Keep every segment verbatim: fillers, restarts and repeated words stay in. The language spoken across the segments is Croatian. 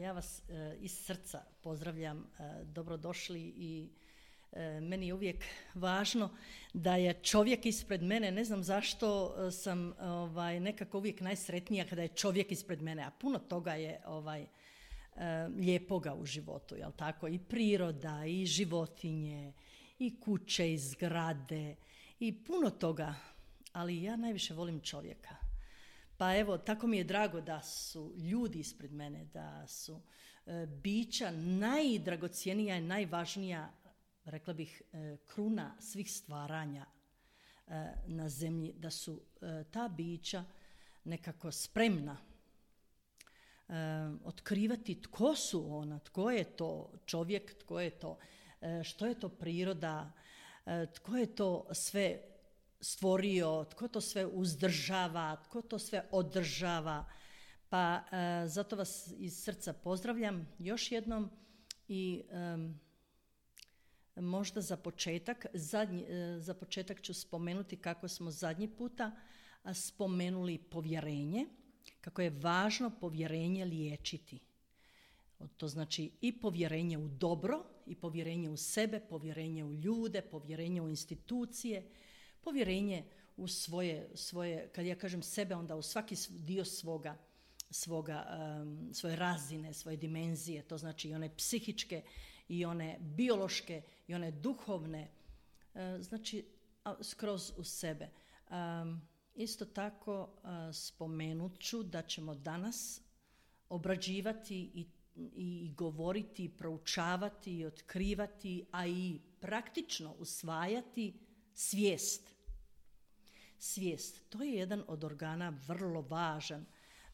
Ja vas e, iz srca pozdravljam, e, dobrodošli i e, meni je uvijek važno da je čovjek ispred mene. Ne znam zašto e, sam ovaj, nekako uvijek najsretnija kada je čovjek ispred mene, a puno toga je ovaj, e, lijepoga u životu, jel tako? I priroda, i životinje, i kuće, i zgrade, i puno toga, ali ja najviše volim čovjeka. Pa evo, tako mi je drago da su ljudi ispred mene, da su e, bića najdragocjenija i najvažnija, rekla bih, e, kruna svih stvaranja e, na zemlji, da su e, ta bića nekako spremna e, otkrivati tko su ona, tko je to čovjek, tko je to, e, što je to priroda, e, tko je to sve stvorio, tko to sve uzdržava, tko to sve održava. Pa e, zato vas iz srca pozdravljam još jednom i e, možda za početak, zadnji, e, za početak ću spomenuti kako smo zadnji puta spomenuli povjerenje, kako je važno povjerenje liječiti. To znači i povjerenje u dobro, i povjerenje u sebe, povjerenje u ljude, povjerenje u institucije, povjerenje u svoje, svoje, kad ja kažem sebe, onda u svaki dio svoga, svoga, um, svoje razine, svoje dimenzije, to znači i one psihičke, i one biološke, i one duhovne, uh, znači skroz u sebe. Um, isto tako uh, spomenut ću da ćemo danas obrađivati i, i govoriti, i proučavati, i otkrivati, a i praktično usvajati svijest. Svijest, to je jedan od organa vrlo važan.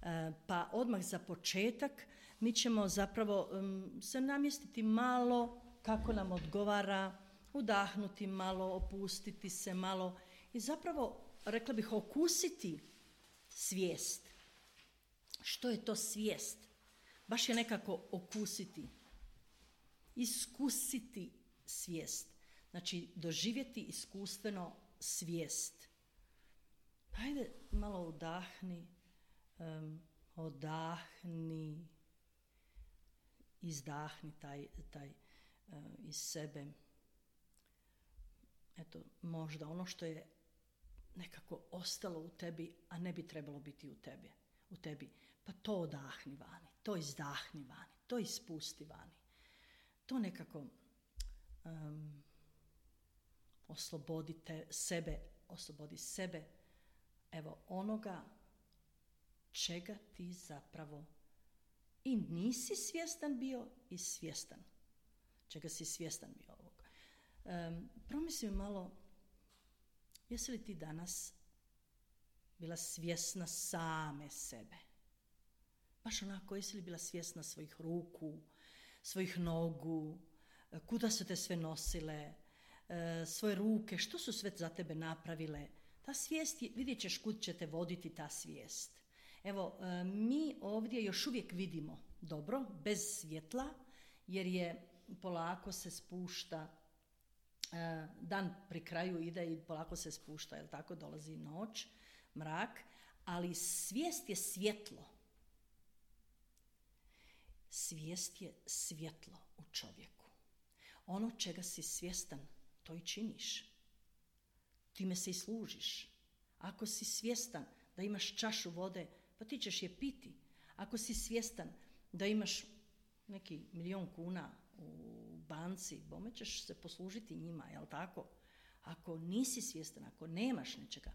E, pa odmah za početak mi ćemo zapravo um, se namjestiti malo kako nam odgovara, udahnuti malo, opustiti se malo i zapravo, rekla bih, okusiti svijest. Što je to svijest? Baš je nekako okusiti, iskusiti svijest. Znači, doživjeti iskustveno svijest. Hajde, malo udahni, um, odahni, izdahni taj, taj uh, iz sebe. Eto, možda ono što je nekako ostalo u tebi, a ne bi trebalo biti u tebi. U tebi. Pa to odahni vani, to izdahni vani, to ispusti vani. To nekako um, oslobodite sebe, oslobodi sebe, evo onoga čega ti zapravo i nisi svjestan bio i svjestan. Čega si svjestan bio ovog. Um, promisli malo, jesi li ti danas bila svjesna same sebe? Baš onako, jesi li bila svjesna svojih ruku, svojih nogu, kuda su te sve nosile, svoje ruke, što su sve za tebe napravile. Ta svijest, je, vidjet ćeš kud će te voditi ta svijest. Evo, mi ovdje još uvijek vidimo dobro, bez svjetla, jer je polako se spušta, dan pri kraju ide i polako se spušta, jel tako, dolazi noć, mrak, ali svijest je svjetlo. Svijest je svjetlo u čovjeku. Ono čega si svjestan, to i činiš. Time se i služiš. Ako si svjestan da imaš čašu vode, pa ti ćeš je piti. Ako si svjestan da imaš neki milion kuna u banci, bome ćeš se poslužiti njima, jel tako? Ako nisi svjestan, ako nemaš nečega,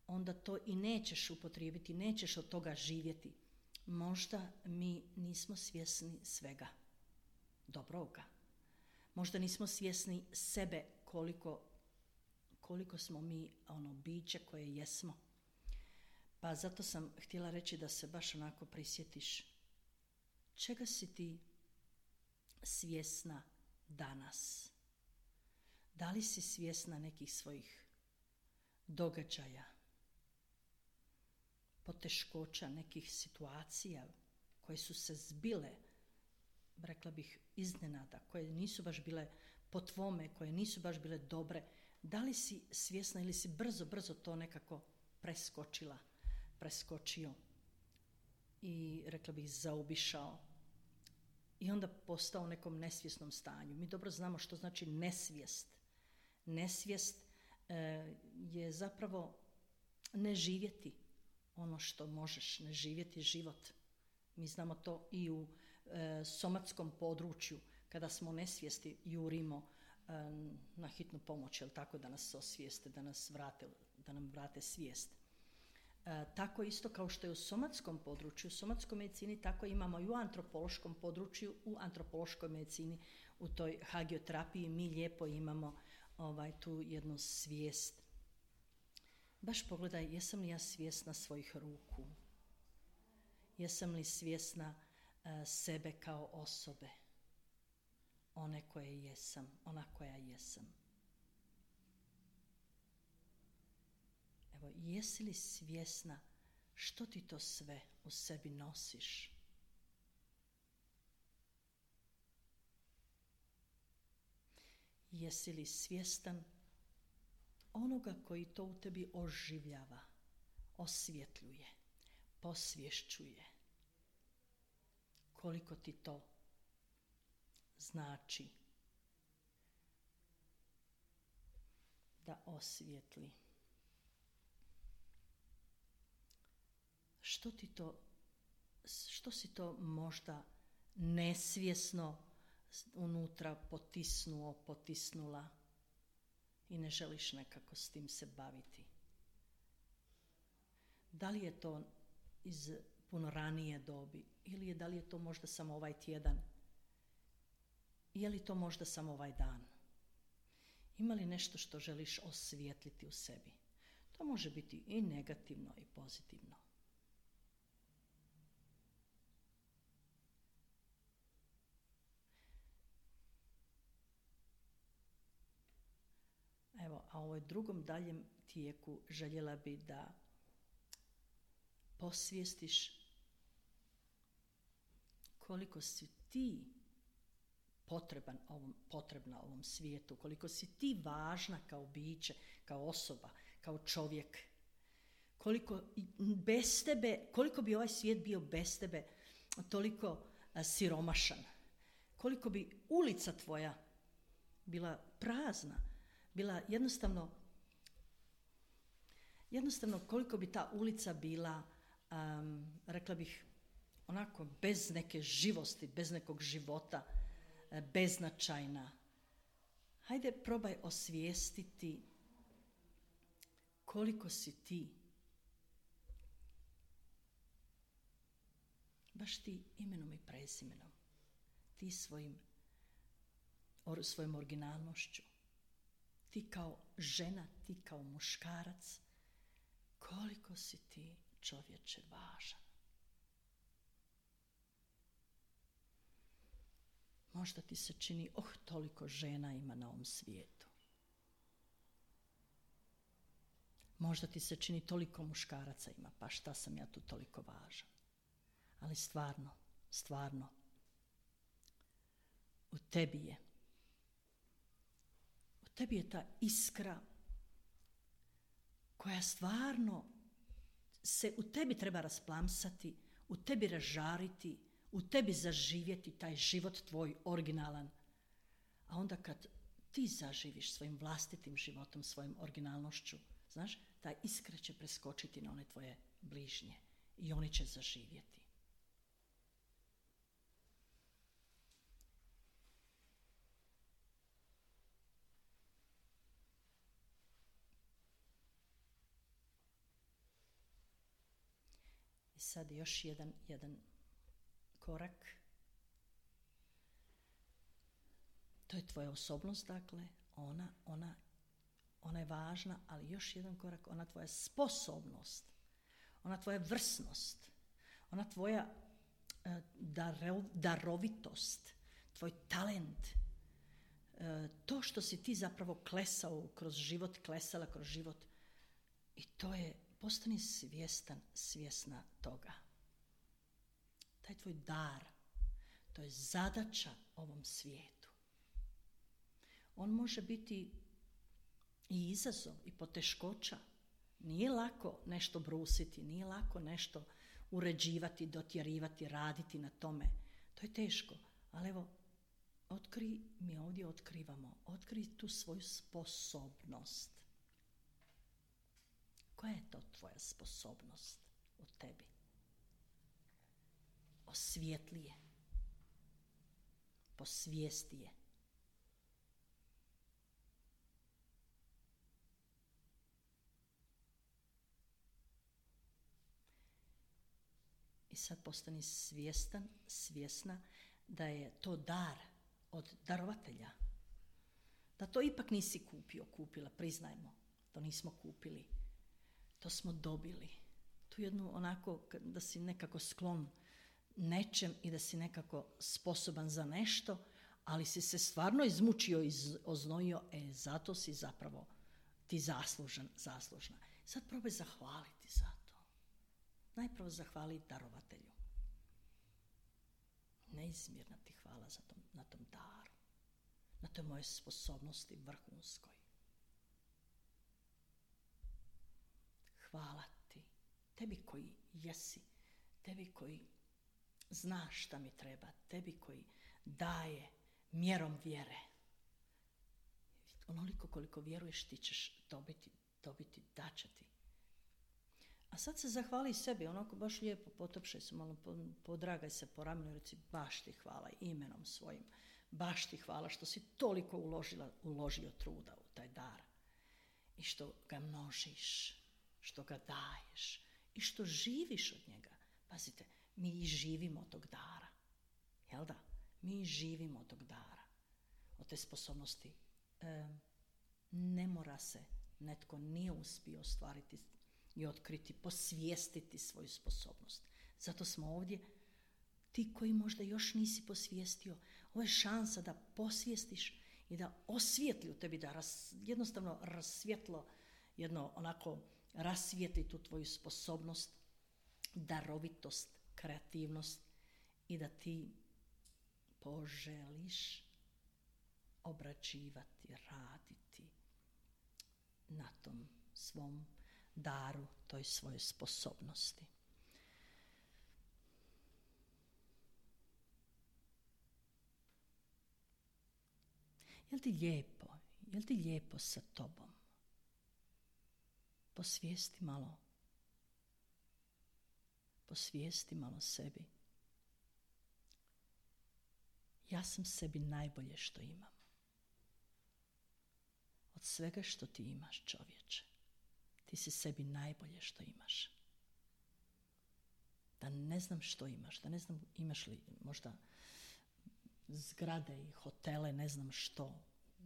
onda to i nećeš upotrijebiti, nećeš od toga živjeti. Možda mi nismo svjesni svega dobroga. Možda nismo svjesni sebe koliko, koliko smo mi ono biće koje jesmo. Pa zato sam htjela reći da se baš onako prisjetiš čega si ti svjesna danas. Da li si svjesna nekih svojih događaja, poteškoća, nekih situacija koje su se zbile, rekla bih, iznenada, koje nisu baš bile po tvome, koje nisu baš bile dobre. Da li si svjesna ili si brzo, brzo to nekako preskočila, preskočio i, rekla bih, zaobišao i onda postao u nekom nesvjesnom stanju. Mi dobro znamo što znači nesvijest. Nesvijest e, je zapravo ne živjeti ono što možeš, ne živjeti život. Mi znamo to i u e, somatskom području, kada smo u nesvijesti jurimo e, na hitnu pomoć, jel tako, da nas osvijeste, da nas vrate, da nam vrate svijest. E, tako isto kao što je u somatskom području, u somatskoj medicini, tako imamo i u antropološkom području, u antropološkoj medicini, u toj hagioterapiji mi lijepo imamo ovaj, tu jednu svijest. Baš pogledaj, jesam li ja svjesna svojih ruku? Jesam li svjesna uh, sebe kao osobe? One koje jesam, ona koja jesam. Evo, jesi li svjesna što ti to sve u sebi nosiš? Jesi li svjestan onoga koji to u tebi oživljava, osvjetljuje, posvješćuje? Koliko ti to znači da osvjetli? Što ti to, što si to možda nesvjesno unutra potisnuo, potisnula i ne želiš nekako s tim se baviti? Da li je to iz puno ranije dobi ili je, da li je to možda samo ovaj tjedan? Je li to možda samo ovaj dan? Ima li nešto što želiš osvijetliti u sebi? To može biti i negativno i pozitivno. Evo, a u ovoj drugom daljem tijeku željela bi da posvijestiš koliko si ti potreban ovom, potrebna ovom svijetu, koliko si ti važna kao biće, kao osoba, kao čovjek. Koliko bez tebe, koliko bi ovaj svijet bio bez tebe toliko a, siromašan. Koliko bi ulica tvoja bila prazna, bila jednostavno, jednostavno koliko bi ta ulica bila, um, rekla bih, onako bez neke živosti, bez nekog života, beznačajna. Hajde, probaj osvijestiti koliko si ti, baš ti imenom i prezimenom, ti svojim, or, svojom originalnošću, ti kao žena, ti kao muškarac, koliko si ti, čovječe, važan. Možda ti se čini, oh, toliko žena ima na ovom svijetu. Možda ti se čini, toliko muškaraca ima, pa šta sam ja tu toliko važan. Ali stvarno, stvarno, u tebi je, u tebi je ta iskra koja stvarno se u tebi treba rasplamsati, u tebi razžariti, u tebi zaživjeti taj život tvoj originalan. A onda kad ti zaživiš svojim vlastitim životom, svojom originalnošću, znaš, ta iskra će preskočiti na one tvoje bližnje i oni će zaživjeti. I sad još jedan, jedan korak. To je tvoja osobnost, dakle, ona, ona, ona je važna, ali još jedan korak, ona tvoja sposobnost, ona tvoja vrsnost, ona tvoja uh, darov, darovitost, tvoj talent, uh, to što si ti zapravo klesao kroz život, klesala kroz život, i to je, postani svjestan, svjesna toga. Taj tvoj dar, to je zadaća ovom svijetu. On može biti i izazov i poteškoća. Nije lako nešto brusiti, nije lako nešto uređivati, dotjerivati, raditi na tome. To je teško, Ali evo, otkri, mi ovdje otkrivamo, otkri tu svoju sposobnost. Koja je to tvoja sposobnost u tebi? Osvijetli je. Posvijesti je. I sad postani svjestan, svjesna da je to dar od darovatelja. Da to ipak nisi kupio, kupila, priznajmo. To nismo kupili. To smo dobili. Tu jednu onako, da si nekako sklon nečem i da si nekako sposoban za nešto, ali si se stvarno izmučio i oznojio, e, zato si zapravo ti zaslužan, zaslužna. Sad probaj zahvaliti za to. Najprvo zahvali darovatelju. Neizmjerna ti hvala za tom, na tom daru, na toj moje sposobnosti vrhunskoj. Hvala ti, tebi koji jesi, tebi koji znaš šta mi treba, tebi koji daje mjerom vjere. Onoliko koliko vjeruješ ti ćeš dobiti, dobiti, daće ti. A sad se zahvali sebi, onako baš lijepo potopšaj se, malo podragaj se po ramenu i reci baš ti hvala imenom svojim, baš ti hvala što si toliko uložila, uložio truda u taj dar i što ga množiš, što ga daješ i što živiš od njega. Pazite, mi i živimo od tog dara, jel da? Mi živimo od tog dara, od te sposobnosti. E, ne mora se, netko nije uspio ostvariti i otkriti, posvijestiti svoju sposobnost. Zato smo ovdje, ti koji možda još nisi posvijestio, ovo je šansa da posvijestiš i da osvijetli u tebi, da ras, jednostavno rasvjetlo, jedno onako rasvijetli tu tvoju sposobnost, darovitost, kreativnost i da ti poželiš obrađivati, raditi na tom svom daru, toj svojoj sposobnosti. Jel ti lijepo? Jel ti lijepo sa tobom? Posvijesti malo. Posvijesti malo sebi. Ja sam sebi najbolje što imam. Od svega što ti imaš, čovječe, ti si sebi najbolje što imaš. Da ne znam što imaš, da ne znam imaš li možda zgrade i hotele, ne znam što,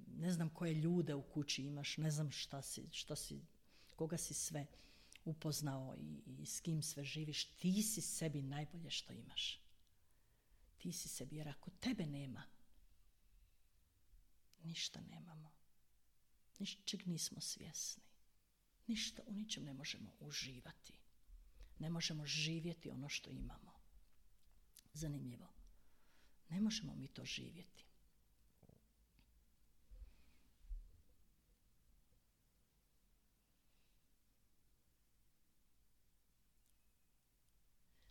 ne znam koje ljude u kući imaš, ne znam šta si, šta si, koga si sve upoznao i, i s kim sve živiš, ti si sebi najbolje što imaš. Ti si sebi, jer ako tebe nema, ništa nemamo. Ničeg nismo svjesni. Ništa, u ničem ne možemo uživati. Ne možemo živjeti ono što imamo. Zanimljivo. Ne možemo mi to živjeti.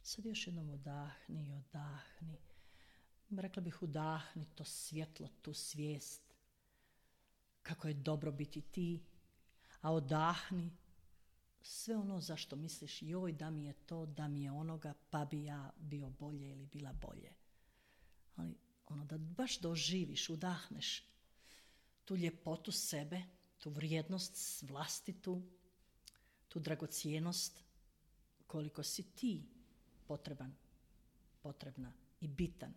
Sad još jednom udahni i odahni. Rekla bih udahni to svjetlo, tu svijest. Kako je dobro biti ti. A odahni sve ono zašto misliš joj da mi je to, da mi je onoga, pa bi ja bio bolje ili bila bolje. Ali ono da baš doživiš, udahneš tu ljepotu sebe, tu vrijednost vlastitu, tu dragocjenost, koliko si ti potreban, potrebna i bitan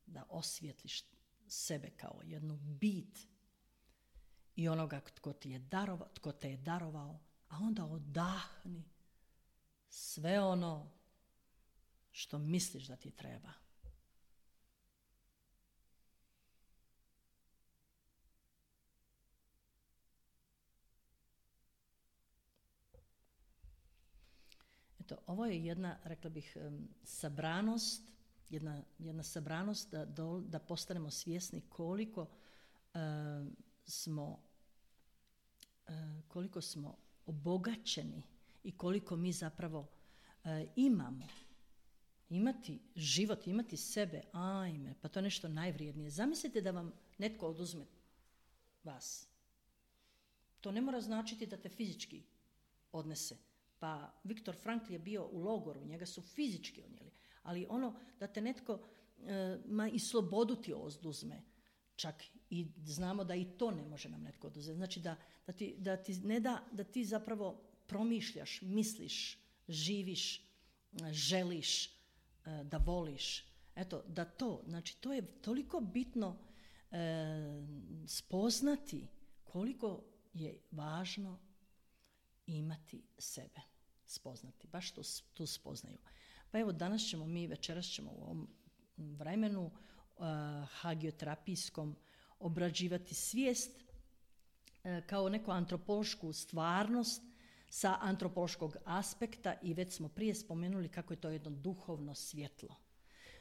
da osvijetliš sebe kao jednu bit i onoga tko, ti je darova, tko te je darovao, a onda odahni sve ono što misliš da ti treba. Eto, ovo je jedna, rekla bih, sabranost, jedna, jedna sabranost da, do, da postanemo svjesni koliko uh, smo uh, koliko smo obogaćeni i koliko mi zapravo uh, imamo imati život, imati sebe, ajme, pa to je nešto najvrijednije. Zamislite da vam netko oduzme vas. To ne mora značiti da te fizički odnese. Pa Viktor Frankl je bio u logoru, njega su fizički odnijeli. Ali ono da te netko e, ma i slobodu ti oduzme, čak i znamo da i to ne može nam netko oduzeti. Znači da, da, ti, da ti ne da, da ti zapravo promišljaš, misliš, živiš, želiš, da voliš. Eto, da to, znači to je toliko bitno e, spoznati koliko je važno imati sebe. Spoznati, baš tu, tu spoznaju. Pa evo, danas ćemo mi, večeras ćemo u ovom vremenu uh, hagioterapijskom obrađivati svijest uh, kao neku antropološku stvarnost sa antropološkog aspekta i već smo prije spomenuli kako je to jedno duhovno svjetlo.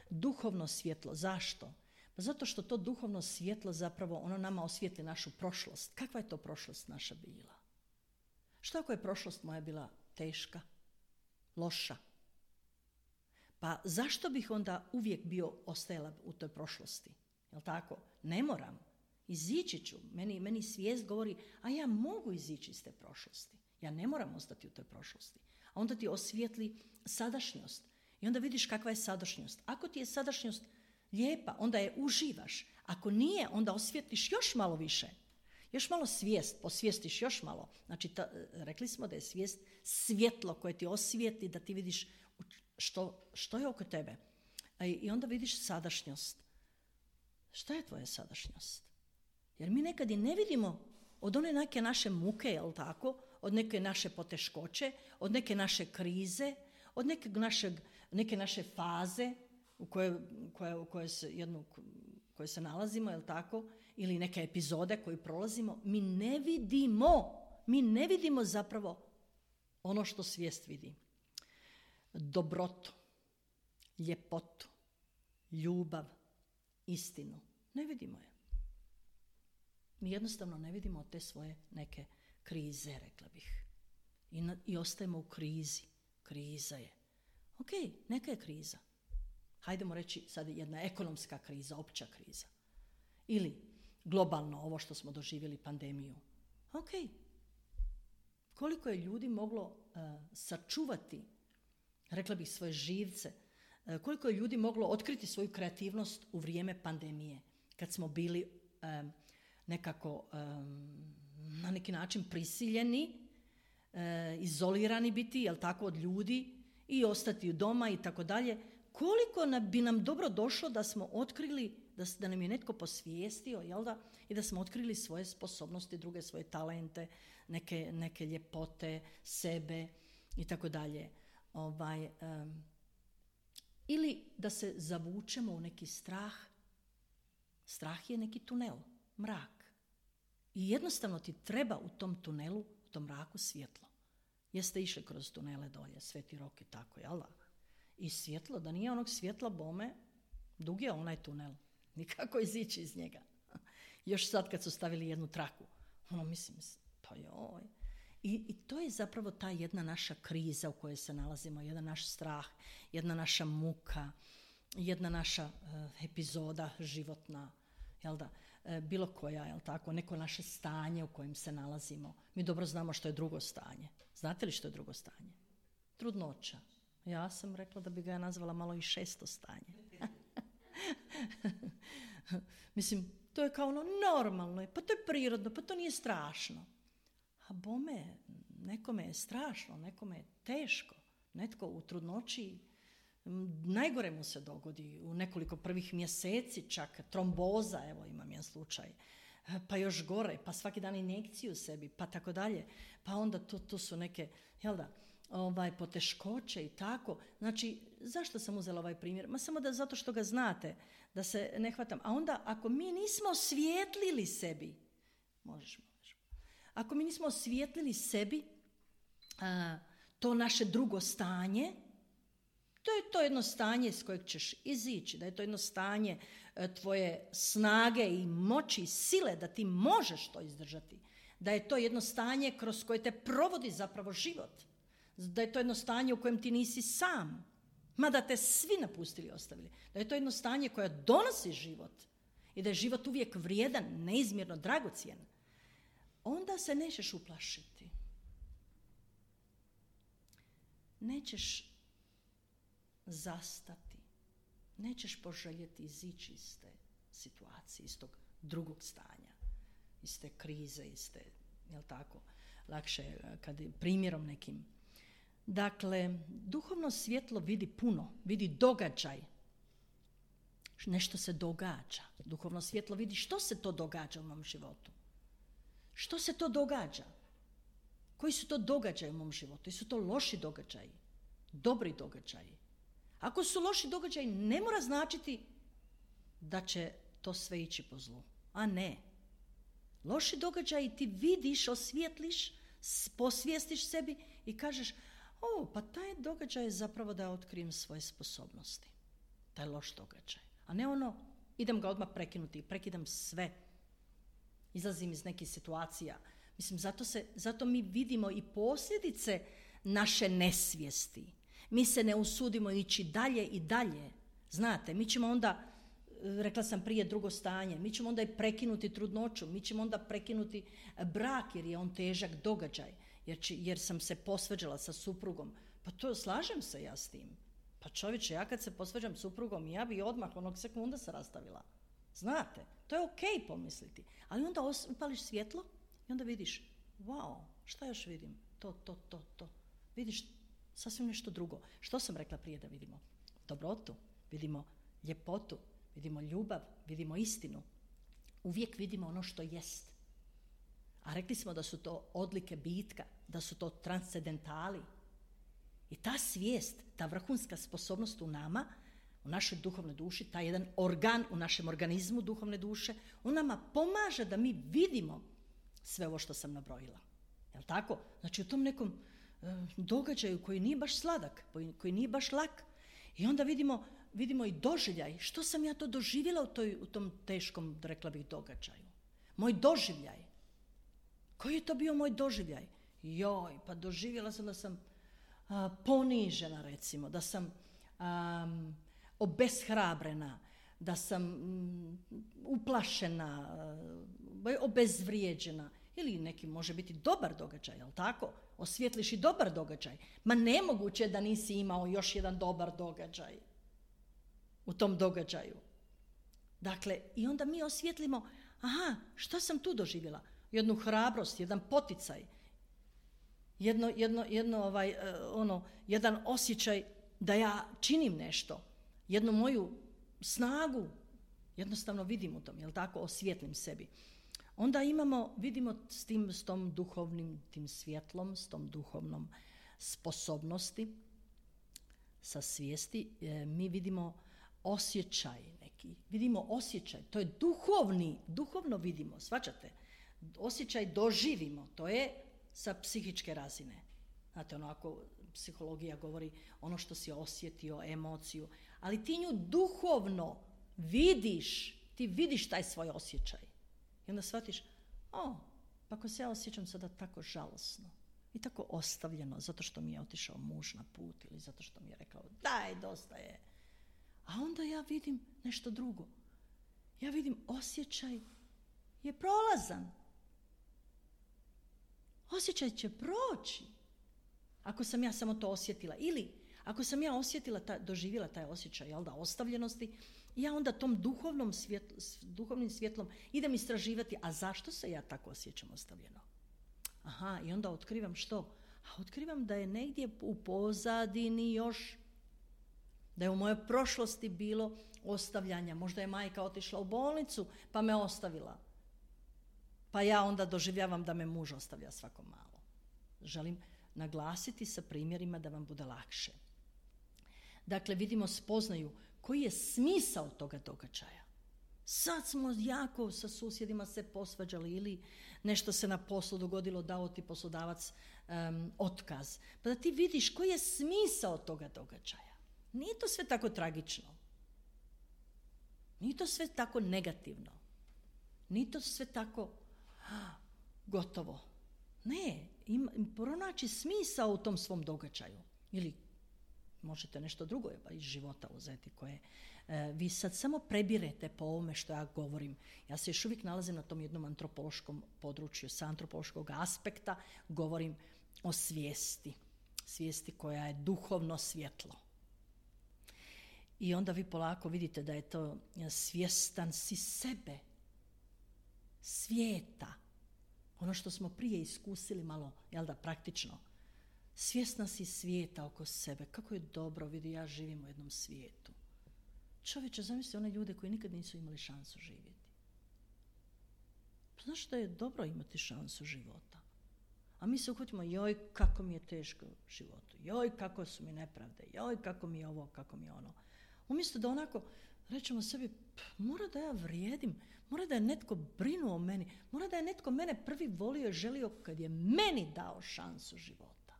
Duhovno svjetlo, zašto? Pa zato što to duhovno svjetlo zapravo ono nama osvijetli našu prošlost. Kakva je to prošlost naša bila? Što ako je prošlost moja bila teška, loša? Pa zašto bih onda uvijek bio ostajala u toj prošlosti? Jel' tako? Ne moram. Izići ću. Meni, meni svijest govori, a ja mogu izići iz te prošlosti. Ja ne moram ostati u toj prošlosti. A onda ti osvijetli sadašnjost. I onda vidiš kakva je sadašnjost. Ako ti je sadašnjost lijepa, onda je uživaš. Ako nije, onda osvijetliš još malo više. Još malo svijest, posvijestiš još malo. Znači, ta, rekli smo da je svijest svjetlo koje ti osvijetli, da ti vidiš što, što je oko tebe. I onda vidiš sadašnjost. Šta je tvoja sadašnjost? Jer mi nekad i ne vidimo od one neke naše muke, jel tako? Od neke naše poteškoće, od neke naše krize, od neke, našeg, neke naše faze u kojoj, koje, u kojoj se, jednu, koje se nalazimo, jel tako? Ili neke epizode koje prolazimo, mi ne vidimo, mi ne vidimo zapravo ono što svijest vidi. Dobrotu, ljepotu, ljubav, istinu. Ne vidimo je. Mi jednostavno ne vidimo te svoje neke krize, rekla bih. I, na, i ostajemo u krizi. Kriza je. Ok, neka je kriza. Hajdemo reći sad jedna ekonomska kriza, opća kriza. Ili globalno ovo što smo doživjeli pandemiju. Ok. Koliko je ljudi moglo uh, sačuvati, rekla bih, svoje živce, uh, koliko je ljudi moglo otkriti svoju kreativnost u vrijeme pandemije, kad smo bili um, nekako um, na neki način prisiljeni, uh, izolirani biti, jel tako, od ljudi i ostati u doma i tako dalje. Koliko nam, bi nam dobro došlo da smo otkrili, da, da nam je netko posvijestio, jel da, i da smo otkrili svoje sposobnosti, druge svoje talente, neke, neke ljepote, sebe i tako dalje. Ovaj, um, ili da se zavučemo u neki strah. Strah je neki tunel, mrak. I jednostavno ti treba u tom tunelu, u tom mraku svjetlo. Jeste išli kroz tunele dolje, Sveti Rok i tako, jel da? I svjetlo, da nije onog svjetla bome, dug je onaj tunel. Nikako izići iz njega. Još sad kad su stavili jednu traku. Ono, mislim, pa joj. I, I to je zapravo ta jedna naša kriza u kojoj se nalazimo, jedan naš strah, jedna naša muka, jedna naša uh, epizoda životna, jel da, uh, bilo koja, jel tako, neko naše stanje u kojem se nalazimo. Mi dobro znamo što je drugo stanje. Znate li što je drugo stanje? Trudnoća. Ja sam rekla da bi ga ja nazvala malo i šesto stanje. Mislim, to je kao ono normalno, pa to je prirodno, pa to nije strašno. A bome, nekome je strašno, nekome je teško. Netko u trudnoći, najgore mu se dogodi, u nekoliko prvih mjeseci čak, tromboza, evo imam jedan slučaj, pa još gore, pa svaki dan injekciju sebi, pa tako dalje. Pa onda to, to su neke, jel da, ovaj, poteškoće i tako. Znači, zašto sam uzela ovaj primjer? Ma samo da zato što ga znate, da se ne hvatam. A onda, ako mi nismo osvijetlili sebi, možeš, možeš. Ako mi nismo osvijetlili sebi a, to naše drugo stanje, to je to jedno stanje s kojeg ćeš izići, da je to jedno stanje a, tvoje snage i moći i sile, da ti možeš to izdržati, da je to jedno stanje kroz koje te provodi zapravo život, da je to jedno stanje u kojem ti nisi sam. Mada te svi napustili i ostavili. Da je to jedno stanje koje donosi život i da je život uvijek vrijedan, neizmjerno dragocjen. Onda se nećeš uplašiti. Nećeš zastati. Nećeš poželjeti izići iz te situacije, iz tog drugog stanja, iz te krize, iz te, jel tako, lakše kad je primjerom nekim. Dakle, duhovno svjetlo vidi puno, vidi događaj. Nešto se događa. Duhovno svjetlo vidi što se to događa u mom životu. Što se to događa? Koji su to događaji u mom životu? Jesu to loši događaji? Dobri događaji? Ako su loši događaji, ne mora značiti da će to sve ići po zlu. A ne. Loši događaji ti vidiš, osvijetliš, posvijestiš sebi i kažeš, o, pa taj događaj je zapravo da otkrijem svoje sposobnosti. Taj loš događaj. A ne ono, idem ga odmah prekinuti, prekidam sve. Izlazim iz nekih situacija. Mislim, zato, se, zato mi vidimo i posljedice naše nesvijesti. Mi se ne usudimo ići dalje i dalje. Znate, mi ćemo onda, rekla sam prije, drugo stanje, mi ćemo onda i prekinuti trudnoću, mi ćemo onda prekinuti brak jer je on težak događaj, jer, će, jer sam se posvađala sa suprugom. Pa to slažem se ja s tim. Pa čovječe, ja kad se posvađam s suprugom, ja bi odmah onog sekunda se rastavila. Znate, to je okej pomisliti. Ali onda os- upališ svjetlo i onda vidiš, wow, šta još vidim? To, to, to, to. Vidiš sasvim nešto drugo. Što sam rekla prije da vidimo? Dobrotu, vidimo ljepotu, vidimo ljubav, vidimo istinu. Uvijek vidimo ono što jest. A rekli smo da su to odlike bitka, da su to transcendentali. I ta svijest, ta vrhunska sposobnost u nama, u našoj duhovnoj duši, taj jedan organ u našem organizmu duhovne duše, on nama pomaže da mi vidimo sve ovo što sam nabrojila. Jel' tako? Znači u tom nekom e, događaju koji nije baš sladak, koji nije baš lak. I onda vidimo, vidimo i doživljaj. Što sam ja to doživjela u, toj, u tom teškom, rekla bih, događaju? Moj doživljaj. Koji je to bio moj doživljaj? Joj, pa doživjela sam da sam a, ponižena, recimo, da sam a, obeshrabrena, da sam m, uplašena, a, obezvrijeđena. Ili neki može biti dobar događaj, jel' tako? Osvijetliš i dobar događaj. Ma nemoguće je da nisi imao još jedan dobar događaj u tom događaju. Dakle, i onda mi osvijetlimo, aha, što sam tu doživjela? Jednu hrabrost, jedan poticaj, jedno, jedno, jedno ovaj, ono, jedan osjećaj da ja činim nešto, jednu moju snagu, jednostavno vidim u tom, jel' tako, osvijetlim sebi. Onda imamo, vidimo s tim, s tom duhovnim, tim svjetlom, s tom duhovnom sposobnosti, sa svijesti, e, mi vidimo osjećaj neki, vidimo osjećaj, to je duhovni, duhovno vidimo, shvaćate? Osjećaj doživimo, to je sa psihičke razine. Znate, ono ako psihologija govori ono što si osjetio, emociju, ali ti nju duhovno vidiš, ti vidiš taj svoj osjećaj. I onda shvatiš, o, pa ako se ja osjećam sada tako žalosno i tako ostavljeno zato što mi je otišao muž na put ili zato što mi je rekao daj, dosta je. A onda ja vidim nešto drugo. Ja vidim osjećaj je prolazan. Osjećaj će proći ako sam ja samo to osjetila. Ili ako sam ja osjetila, ta, doživjela taj osjećaj, jel da, ostavljenosti, ja onda tom duhovnom svjetlo, duhovnim svjetlom idem istraživati, a zašto se ja tako osjećam ostavljeno? Aha, i onda otkrivam što? A otkrivam da je negdje u pozadini još, da je u mojoj prošlosti bilo ostavljanja. Možda je majka otišla u bolnicu pa me ostavila. Pa ja onda doživljavam da me muž ostavlja svako malo. Želim naglasiti sa primjerima da vam bude lakše. Dakle, vidimo, spoznaju koji je smisao toga događaja. Sad smo jako sa susjedima se posvađali ili nešto se na poslu dogodilo, dao ti poslodavac um, otkaz. Pa da ti vidiš koji je smisao toga događaja. Nije to sve tako tragično. Nije to sve tako negativno. Nije to sve tako ah, gotovo. Ne, im, pronaći smisao u tom svom događaju. Ili možete nešto drugo iz života uzeti koje e, vi sad samo prebirete po ovome što ja govorim. Ja se još uvijek nalazim na tom jednom antropološkom području, sa antropološkog aspekta govorim o svijesti. Svijesti koja je duhovno svjetlo. I onda vi polako vidite da je to svjestan si sebe, svijeta. Ono što smo prije iskusili malo, jel da, praktično. Svjesna si svijeta oko sebe. Kako je dobro, vidi, ja živim u jednom svijetu. Čovječe, zamisli one ljude koji nikad nisu imali šansu živjeti. Znaš da je dobro imati šansu života? A mi se uhvatimo, joj, kako mi je teško u životu. Joj, kako su mi nepravde. Joj, kako mi je ovo, kako mi je ono. Umjesto da onako rećemo sebi, mora da ja vrijedim, mora da je netko brinuo o meni, mora da je netko mene prvi volio i želio kad je meni dao šansu života.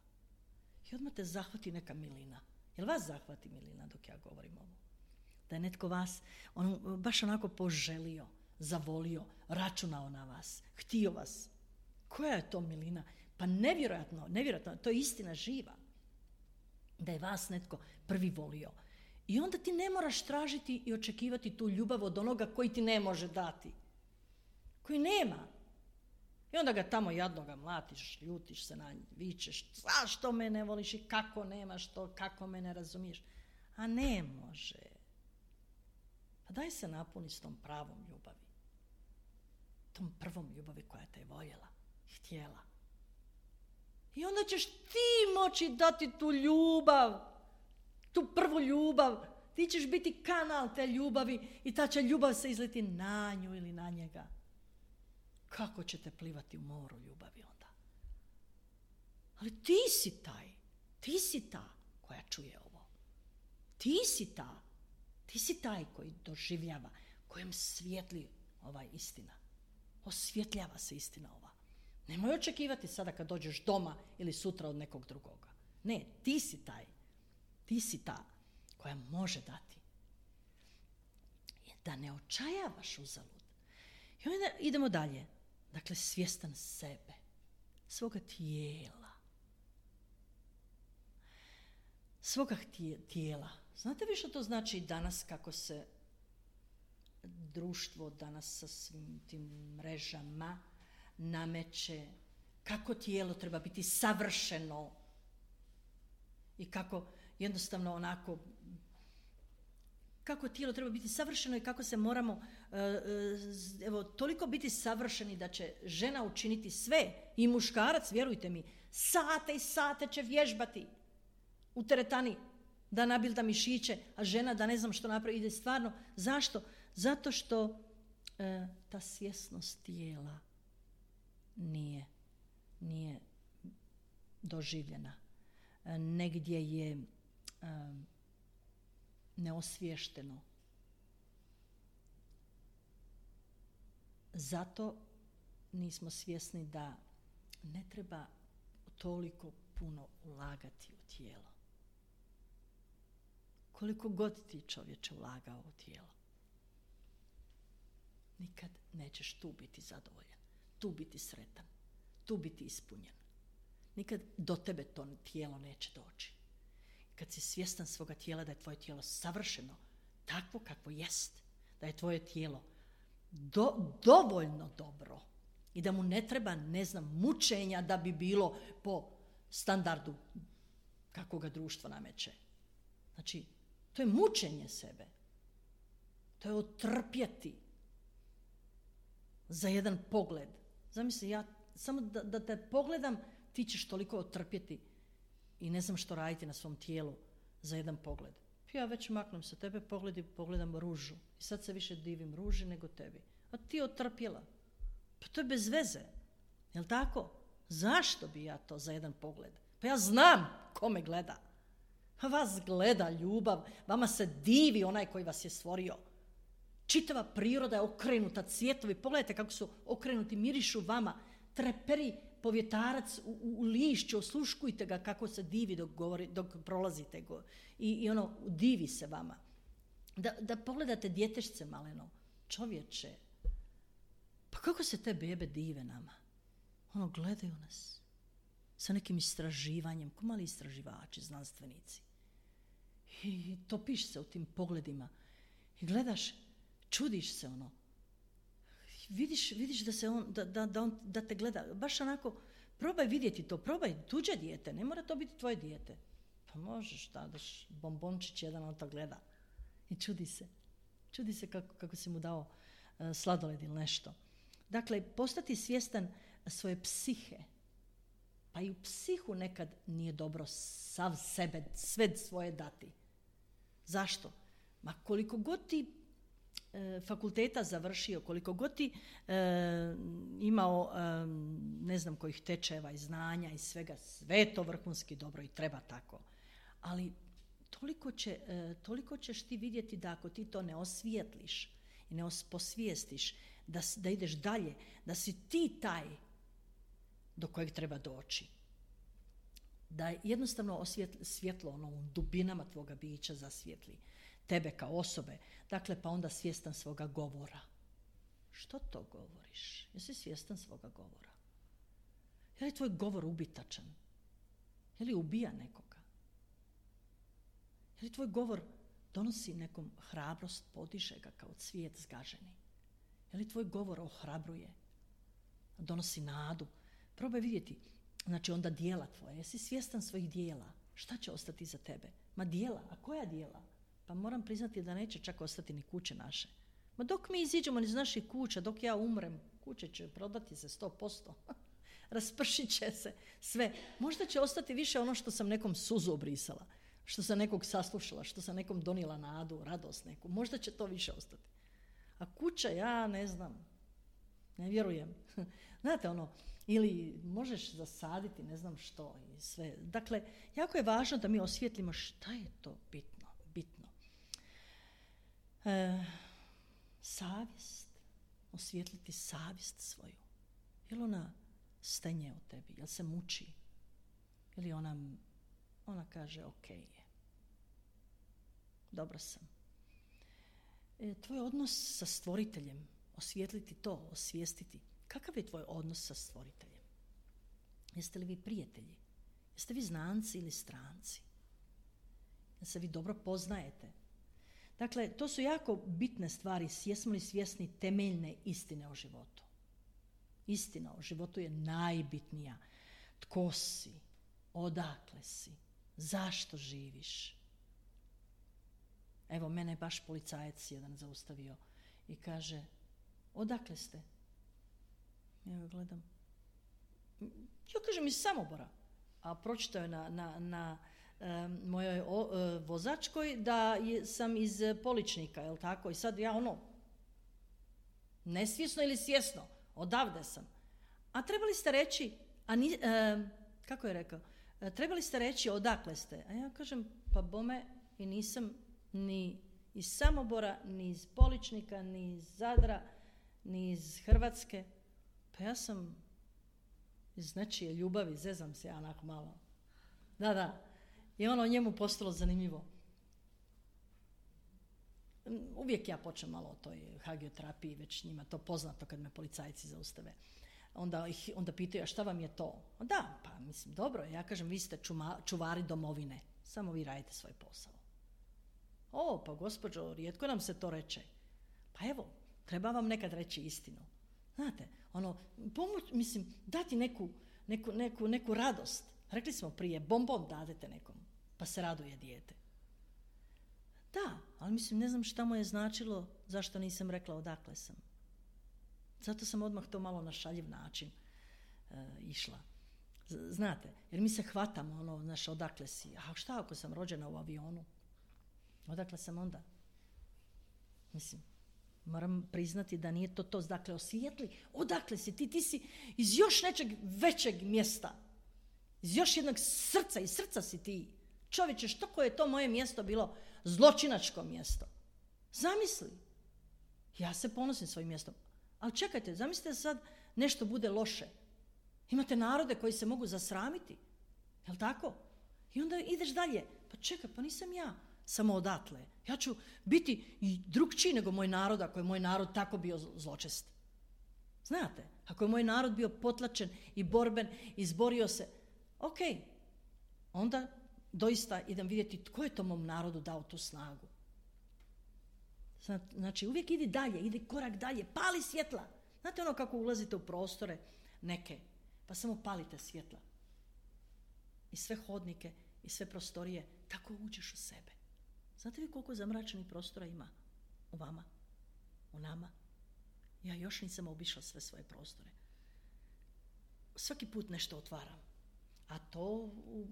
I odmah te zahvati neka milina. Jel vas zahvati milina dok ja govorim ovo? Da je netko vas on, baš onako poželio, zavolio, računao na vas, htio vas. Koja je to milina? Pa nevjerojatno, nevjerojatno, to je istina živa. Da je vas netko prvi volio. I onda ti ne moraš tražiti i očekivati tu ljubav od onoga koji ti ne može dati. Koji nema. I onda ga tamo jadnoga mlatiš, ljutiš se na njih, vičeš, zašto me ne voliš i kako nemaš to, kako me ne razumiješ. A ne može. Pa daj se napuni s tom pravom ljubavi. Tom prvom ljubavi koja te je voljela, htjela. I onda ćeš ti moći dati tu ljubav, tu prvu ljubav. Ti ćeš biti kanal te ljubavi i ta će ljubav se izliti na nju ili na njega. Kako ćete plivati u moru ljubavi onda? Ali ti si taj, ti si ta koja čuje ovo. Ti si ta, ti si taj koji doživljava, kojem svijetli ova istina. Osvjetljava se istina ova. Nemoj očekivati sada kad dođeš doma ili sutra od nekog drugoga. Ne, ti si taj, ti si ta koja može dati. Da ne očajavaš uzalud. I onda idemo dalje. Dakle, svjestan sebe, svoga tijela. Svoga tijela. Znate vi što to znači danas kako se društvo danas sa svim tim mrežama nameće, kako tijelo treba biti savršeno i kako jednostavno onako, kako tijelo treba biti savršeno i kako se moramo evo, toliko biti savršeni da će žena učiniti sve i muškarac, vjerujte mi, sate i sate će vježbati u teretani da nabilda mišiće, a žena da ne znam što napravi, ide stvarno. Zašto? Zato što e, ta svjesnost tijela nije, nije doživljena. E, negdje je e, neosviješteno. Zato nismo svjesni da ne treba toliko puno ulagati u tijelo. Koliko god ti čovječe ulagao u tijelo, nikad nećeš tu biti zadovoljan, tu biti sretan, tu biti ispunjen. Nikad do tebe to tijelo neće doći. Kad si svjestan svoga tijela da je tvoje tijelo savršeno, takvo kakvo jest, da je tvoje tijelo do, dovoljno dobro i da mu ne treba, ne znam, mučenja da bi bilo po standardu kako ga društvo nameće. Znači, to je mučenje sebe. To je otrpjeti za jedan pogled. Zamisli, ja samo da, da te pogledam, ti ćeš toliko otrpjeti i ne znam što raditi na svom tijelu za jedan pogled. Ja već maknem sa tebe pogled i pogledam ružu. I sad se više divim ruži nego tebi. A ti otrpjela. Pa to je bez veze. Jel tako? Zašto bi ja to za jedan pogled? Pa ja znam ko me gleda. Pa vas gleda ljubav. Vama se divi onaj koji vas je stvorio. Čitava priroda je okrenuta, cvjetovi. Pogledajte kako su okrenuti, mirišu vama. Treperi povjetarac u, u, u lišću, osluškujte ga kako se divi dok, govori, dok prolazite go. I, i ono, divi se vama. Da, da pogledate djetešce maleno, čovječe, pa kako se te bebe dive nama? Ono, gledaju nas sa nekim istraživanjem, ko mali istraživači, znanstvenici. I topiš se u tim pogledima. I gledaš, čudiš se ono. Vidiš, vidiš da, se on, da, da, da, on, da te gleda. Baš onako, probaj vidjeti to, probaj tuđe dijete, ne mora to biti tvoje dijete. Pa možeš da daš bombončić jedan, on to gleda. I čudi se. Čudi se kako, kako si mu dao uh, sladoled ili nešto. Dakle, postati svjestan svoje psihe. Pa i u psihu nekad nije dobro sav sebe, sve svoje dati. Zašto? Ma koliko god ti e, fakulteta završio, koliko god ti e, imao e, ne znam kojih tečajeva i znanja i svega, sve je to vrhunski dobro i treba tako. Ali toliko, će, e, toliko ćeš ti vidjeti da ako ti to ne osvijetliš i ne posvijestiš, da, da ideš dalje, da si ti taj do kojeg treba doći. Da jednostavno osvjetli, svjetlo ono u dubinama tvoga bića zasvijetli tebe kao osobe. Dakle, pa onda svjestan svoga govora. Što to govoriš? Jesi svjestan svoga govora? Je li tvoj govor ubitačan? Je li ubija nekoga? Je li tvoj govor donosi nekom hrabrost, podiže ga kao cvijet zgaženi? Je li tvoj govor ohrabruje? Donosi nadu? Probaj vidjeti, znači onda dijela tvoje. Jesi svjestan svojih dijela? Šta će ostati za tebe? Ma dijela, a koja dijela? Pa moram priznati da neće čak ostati ni kuće naše. Ma dok mi iziđemo iz naših kuća, dok ja umrem, kuće će prodati se sto posto. Raspršit će se sve. Možda će ostati više ono što sam nekom suzu obrisala, što sam nekog saslušala, što sam nekom donijela nadu, radost neku. Možda će to više ostati. A kuća, ja ne znam, ne vjerujem. Znate ono, ili možeš zasaditi ne znam što i sve. Dakle, jako je važno da mi osvijetlimo šta je to bitno. bitno. E, savjest, osvijetliti savjest svoju. Je li ona stenje u tebi? Je li se muči? Ili ona, ona kaže ok je. Dobro sam. E, tvoj odnos sa stvoriteljem, osvijetliti to, osvijestiti. Kakav je tvoj odnos sa stvoriteljem? Jeste li vi prijatelji? Jeste vi znanci ili stranci? Da se vi dobro poznajete? Dakle, to su jako bitne stvari. Jesmo li svjesni temeljne istine o životu? Istina o životu je najbitnija. Tko si? Odakle si? Zašto živiš? Evo, mene je baš policajac jedan zaustavio i kaže, odakle ste? Ja ga gledam. Ja kažem iz Samobora. A pročitao je na, na, na um, mojoj o, uh, vozačkoj da je, sam iz Poličnika, jel tako? I sad ja ono, nesvjesno ili svjesno, odavde sam. A trebali ste reći, a ni, uh, kako je rekao, uh, trebali ste reći odakle ste. A ja kažem, pa bome i nisam ni iz Samobora, ni iz Poličnika, ni iz Zadra, ni iz Hrvatske. Pa ja sam iz nečije ljubavi, zezam se ja onako malo. Da, da. I ono njemu postalo zanimljivo. Uvijek ja počnem malo o toj hagioterapiji, već njima to poznato kad me policajci zaustave. Onda, ih, onda pitaju, a šta vam je to? Da, pa mislim, dobro. Ja kažem, vi ste čuma, čuvari domovine. Samo vi radite svoj posao. O, pa gospođo, rijetko nam se to reče. Pa evo, treba vam nekad reći istinu. Znate, ono, pomoć, mislim, dati neku, neku, neku, neku radost. Rekli smo prije, bonbon dadete nekom, pa se raduje dijete. Da, ali mislim, ne znam šta mu je značilo, zašto nisam rekla odakle sam. Zato sam odmah to malo na šaljiv način e, išla. Znate, jer mi se hvatamo, ono, znaš, odakle si. A šta ako sam rođena u avionu? Odakle sam onda? Mislim, moram priznati da nije to to. Dakle, osvijetli, odakle si ti? Ti si iz još nečeg većeg mjesta. Iz još jednog srca, iz srca si ti. Čovječe, što koje je to moje mjesto bilo? Zločinačko mjesto. Zamisli. Ja se ponosim svojim mjestom. Ali čekajte, zamislite da sad nešto bude loše. Imate narode koji se mogu zasramiti. Jel' tako? I onda ideš dalje. Pa čekaj, pa nisam ja samo odatle. Ja ću biti i drugčiji nego moj narod, ako je moj narod tako bio zločest. Znate, ako je moj narod bio potlačen i borben, izborio se, ok, onda doista idem vidjeti tko je to mom narodu dao tu snagu. Znači, uvijek idi dalje, idi korak dalje, pali svjetla. Znate ono kako ulazite u prostore neke, pa samo palite svjetla. I sve hodnike, i sve prostorije, tako uđeš u sebe. Znate vi koliko zamračenih prostora ima u vama, u nama? Ja još nisam obišla sve svoje prostore. Svaki put nešto otvaram. A to, u,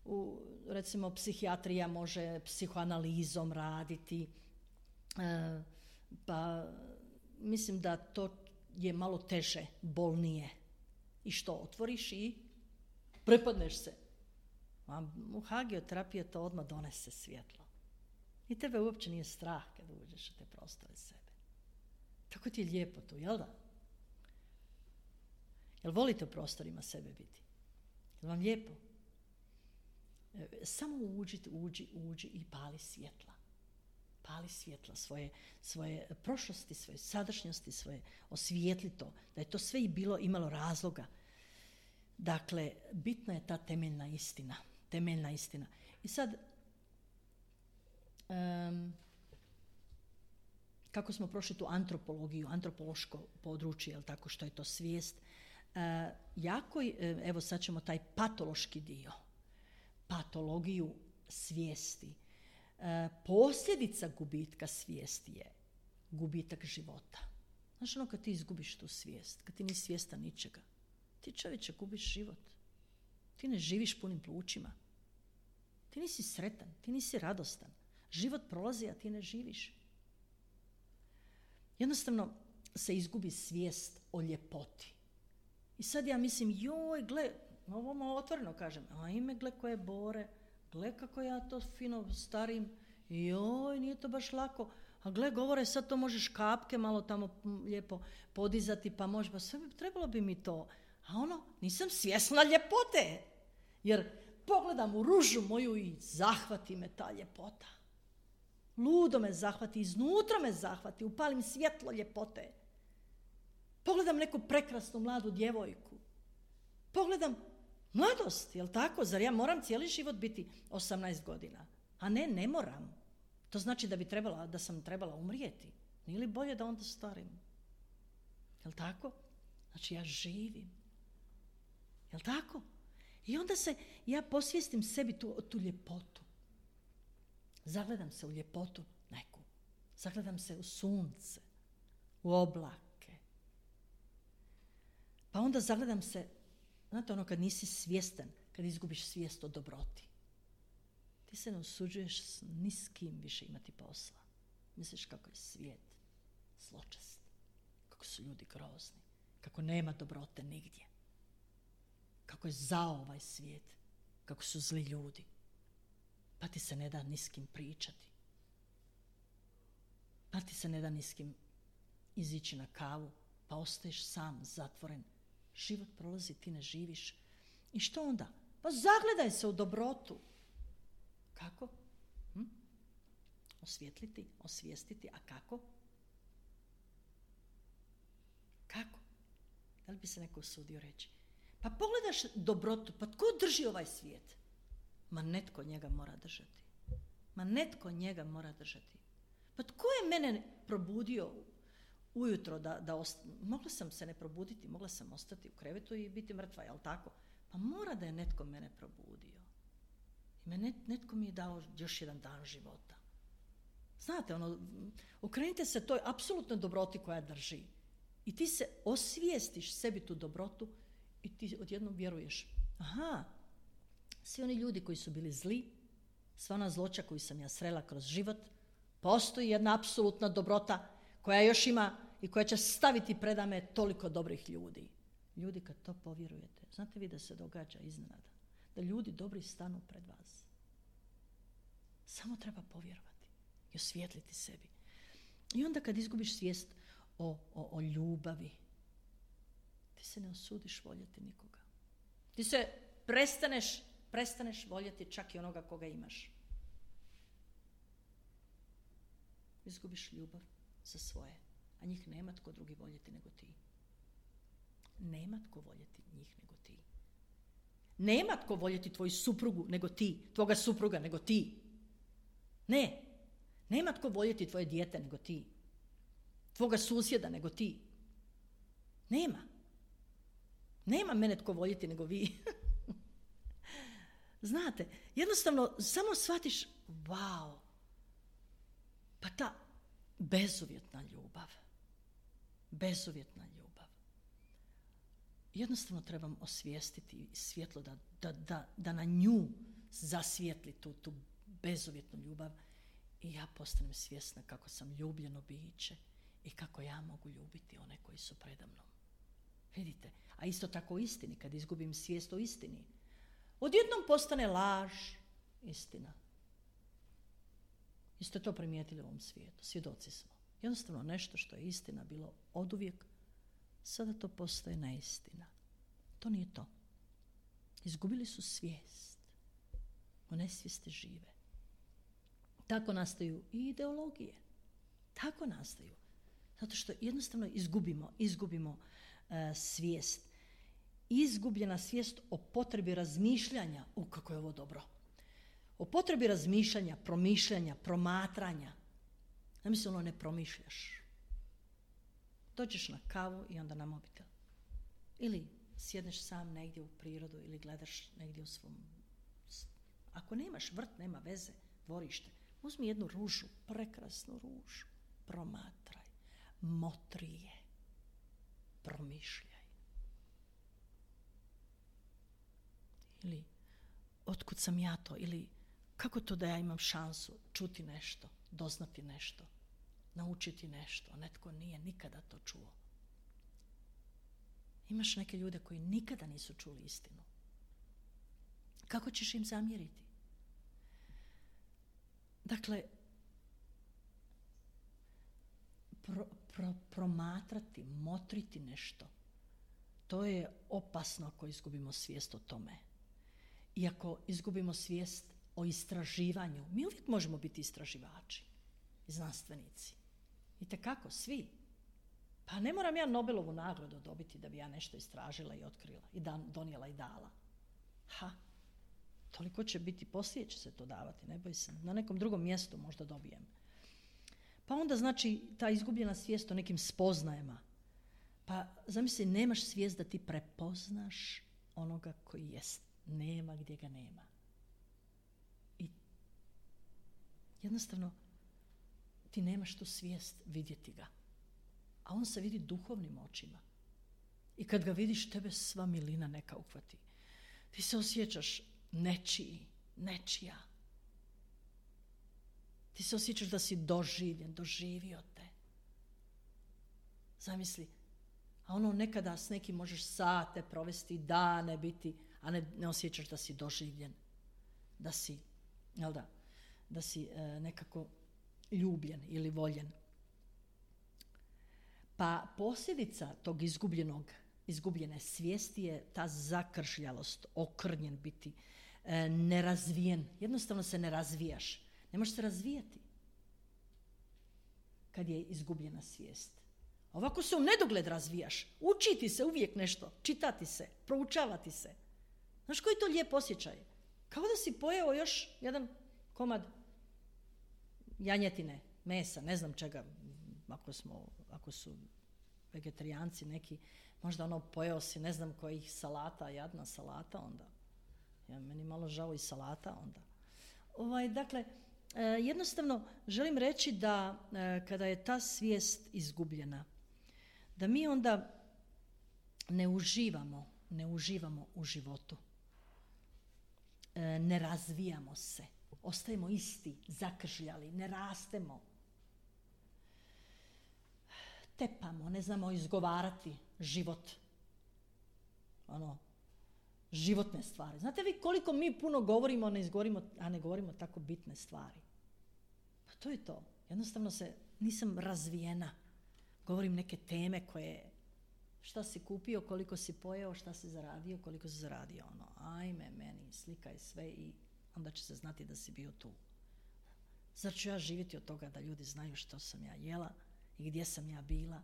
u, recimo, psihijatrija može psihoanalizom raditi, e, pa mislim da to je malo teže, bolnije. I što, otvoriš i prepadneš se. A u hagioterapiji to odmah donese svjetlo. I tebe uopće nije strah kad uđeš u te prostore sebe. Tako ti je lijepo tu, jel da? Jel volite u prostorima sebe biti? Jel vam lijepo? Samo uđi, uđi, uđi i pali svjetla. Pali svjetla svoje, svoje prošlosti, svoje sadašnjosti, svoje osvijetli to. Da je to sve i bilo, imalo razloga. Dakle, bitna je ta temeljna istina. Temeljna istina. I sad, um, kako smo prošli tu antropologiju, antropološko područje, jel tako, što je to svijest, uh, jako, evo sad ćemo taj patološki dio, patologiju svijesti. Uh, posljedica gubitka svijesti je gubitak života. Znaš ono kad ti izgubiš tu svijest, kad ti nisi svjestan ničega, ti čovječe gubiš život. Ti ne živiš punim plućima. Ti nisi sretan, ti nisi radostan. Život prolazi, a ti ne živiš. Jednostavno se izgubi svijest o ljepoti. I sad ja mislim, joj, gle, ovo malo otvoreno kažem, a ime, gle koje bore, gle kako ja to fino starim, joj, nije to baš lako. A gle, govore, sad to možeš kapke malo tamo lijepo podizati, pa može, pa sve bi, trebalo bi mi to. A ono, nisam svjesna ljepote. Jer pogledam u ružu moju i zahvati me ta ljepota. Ludo me zahvati, iznutra me zahvati, upalim svjetlo ljepote. Pogledam neku prekrasnu mladu djevojku. Pogledam mladost, jel tako? Zar ja moram cijeli život biti osamnaest godina? A ne, ne moram. To znači da bi trebala, da sam trebala umrijeti. Nije li bolje da onda starim? Jel tako? Znači ja živim. Jel tako? I onda se, ja posvijestim sebi tu, tu ljepotu. Zagledam se u ljepotu neku. Zagledam se u sunce, u oblake. Pa onda zagledam se, znate ono kad nisi svjestan, kad izgubiš svijest o dobroti. Ti se ne usuđuješ s ni s kim više imati posla. Misliš kako je svijet zločest, kako su ljudi grozni, kako nema dobrote nigdje. Kako je zao ovaj svijet, kako su zli ljudi. Pa ti se ne da ni s kim pričati. Pa ti se ne da ni s kim izići na kavu, pa ostaješ sam, zatvoren. Život prolazi, ti ne živiš. I što onda? Pa zagledaj se u dobrotu. Kako? Hm? Osvijetliti, osvijestiti, a kako? Kako? Da li bi se neko usudio reći? Pa pogledaš dobrotu, pa tko drži ovaj svijet? Ma netko njega mora držati. Ma netko njega mora držati. Pa tko je mene probudio ujutro da, da ost... Mogla sam se ne probuditi, mogla sam ostati u krevetu i biti mrtva, jel tako? Pa mora da je netko mene probudio. I me net, netko mi je dao još jedan dan života. Znate, ono, okrenite se toj apsolutnoj dobroti koja drži. I ti se osvijestiš sebi tu dobrotu i ti odjednom vjeruješ. Aha, svi oni ljudi koji su bili zli, sva ona zloća koju sam ja srela kroz život, postoji jedna apsolutna dobrota koja još ima i koja će staviti predame toliko dobrih ljudi. Ljudi, kad to povjerujete, znate vi da se događa iznenada, da ljudi dobri stanu pred vas. Samo treba povjerovati i osvijetliti sebi. I onda kad izgubiš svijest o, o, o ljubavi, ti se ne osudiš voljeti nikoga. Ti se prestaneš, prestaneš voljeti čak i onoga koga imaš. Izgubiš ljubav za svoje, a njih nema tko drugi voljeti nego ti. Nema tko voljeti njih nego ti. Nema tko voljeti tvoju suprugu nego ti, tvoga supruga nego ti. Ne. Nema tko voljeti tvoje dijete nego ti. Tvoga susjeda nego ti. Nema. Nema mene tko voljeti nego vi. Znate, jednostavno samo shvatiš, wow, pa ta bezuvjetna ljubav, bezuvjetna ljubav. Jednostavno trebam osvijestiti svjetlo da, da, da, da na nju zasvijetli tu, tu bezuvjetnu ljubav i ja postanem svjesna kako sam ljubljeno biće i kako ja mogu ljubiti one koji su predamnom. Vidite, a isto tako u istini, kad izgubim svijest o istini, odjednom postane laž istina. Isto to primijetili u ovom svijetu, svjedoci smo. Jednostavno nešto što je istina bilo oduvijek, sada to postaje neistina. To nije to. Izgubili su svijest. U nesvijesti žive. Tako nastaju i ideologije. Tako nastaju. Zato što jednostavno izgubimo, izgubimo uh, svijest. Izgubljena svijest o potrebi razmišljanja. U, kako je ovo dobro. O potrebi razmišljanja, promišljanja, promatranja. Zamisli, ono ne promišljaš. Dođeš na kavu i onda na mobitel. Ili sjedneš sam negdje u prirodu ili gledaš negdje u svom... Ako nemaš vrt, nema veze, dvorište. Uzmi jednu ružu, prekrasnu ružu. Promatraj. Motri je. Promišljaj. Ili otkud sam ja to? Ili kako to da ja imam šansu čuti nešto, doznati nešto, naučiti nešto, a netko nije nikada to čuo. Imaš neke ljude koji nikada nisu čuli istinu. Kako ćeš im zamjeriti? Dakle, pro, pro, promatrati, motriti nešto, to je opasno ako izgubimo svijest o tome. I ako izgubimo svijest o istraživanju, mi uvijek možemo biti istraživači, znanstvenici. Itekako, svi. Pa ne moram ja Nobelovu nagradu dobiti da bi ja nešto istražila i otkrila i dan, donijela i dala. Ha, toliko će biti, poslije će se to davati, ne boj se. Na nekom drugom mjestu možda dobijem. Pa onda znači ta izgubljena svijest o nekim spoznajama. Pa zamisli, nemaš svijest da ti prepoznaš onoga koji jest. Nema gdje ga nema. I jednostavno ti nemaš tu svijest vidjeti ga. A on se vidi duhovnim očima. I kad ga vidiš, tebe sva milina neka uhvati. Ti se osjećaš nečiji, nečija. Ti se osjećaš da si doživljen, doživio te. Zamisli, a ono nekada s nekim možeš sate provesti, dane biti, a ne, ne osjećaš da si doživljen, da si, jel da, da si e, nekako ljubljen ili voljen. Pa posljedica tog izgubljenog, izgubljene svijesti je ta zakršljalost, okrnjen biti, e, nerazvijen. Jednostavno se ne razvijaš. Ne možeš se razvijati kad je izgubljena svijest. Ovako se u nedogled razvijaš. Učiti se uvijek nešto, čitati se, proučavati se. Znaš koji to lijep osjećaj? Kao da si pojeo još jedan komad janjetine, mesa, ne znam čega, ako smo, ako su vegetarijanci neki, možda ono pojeo si ne znam kojih salata, jadna salata onda. Ja, meni malo žao i salata onda. Ovaj, dakle, e, jednostavno želim reći da e, kada je ta svijest izgubljena, da mi onda ne uživamo, ne uživamo u životu. E, ne razvijamo se. Ostajemo isti, zakržljali, ne rastemo. Tepamo, ne znamo izgovarati život. Ono, životne stvari. Znate vi koliko mi puno govorimo, ne izgovorimo, a ne govorimo tako bitne stvari? Pa to je to. Jednostavno se, nisam razvijena. Govorim neke teme koje, šta si kupio, koliko si pojeo, šta si zaradio, koliko si zaradio. Ono, ajme meni, slikaj sve i onda će se znati da si bio tu. Zar ću ja živjeti od toga da ljudi znaju što sam ja jela i gdje sam ja bila?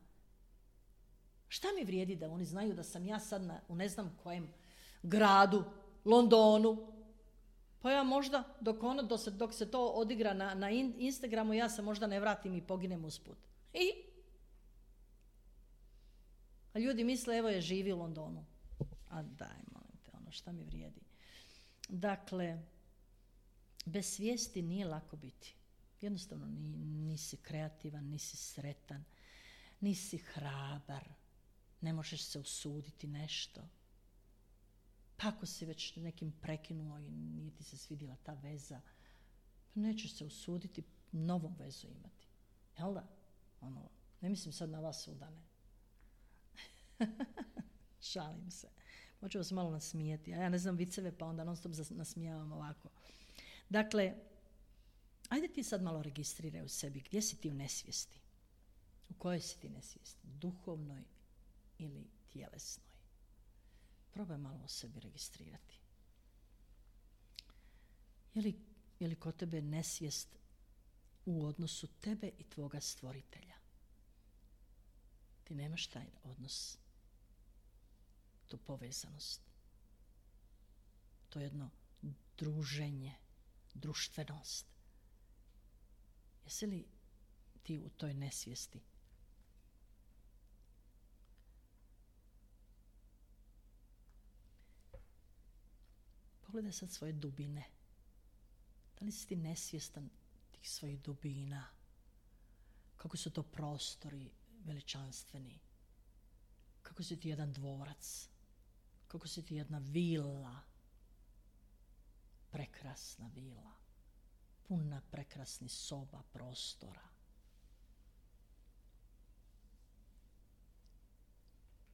Šta mi vrijedi da oni znaju da sam ja sad na, u ne znam kojem gradu Londonu. Pa ja možda, dok, ono, dok, se, dok se to odigra na, na Instagramu, ja se možda ne vratim i poginem usput. I? A ljudi misle, evo je živi u Londonu. A daj, molim te, ono, šta mi vrijedi. Dakle, bez svijesti nije lako biti. Jednostavno nisi kreativan, nisi sretan, nisi hrabar, ne možeš se usuditi nešto. Pa ako si već nekim prekinuo i nije ti se svidjela ta veza, pa nećeš se usuditi novu vezu imati. Jel da? Ono, ne mislim sad na vas udane. Šalim se. Hoću vas malo nasmijeti. A ja ne znam viceve, pa onda non stop nasmijavam ovako. Dakle, ajde ti sad malo registriraj u sebi. Gdje si ti u nesvijesti? U kojoj si ti nesvijesti? Duhovnoj ili tjelesnoj? Probaj malo o sebi registrirati. Je li, je li kod tebe nesvijest u odnosu tebe i tvoga stvoritelja? Ti nemaš taj odnos, tu povezanost, to jedno druženje, društvenost. Jesi li ti u toj nesvijesti? Pogledaj sad svoje dubine. Da li si ti nesvjestan tih svojih dubina? Kako su to prostori veličanstveni? Kako si ti jedan dvorac? Kako si ti jedna vila? Prekrasna vila. Puna prekrasnih soba, prostora.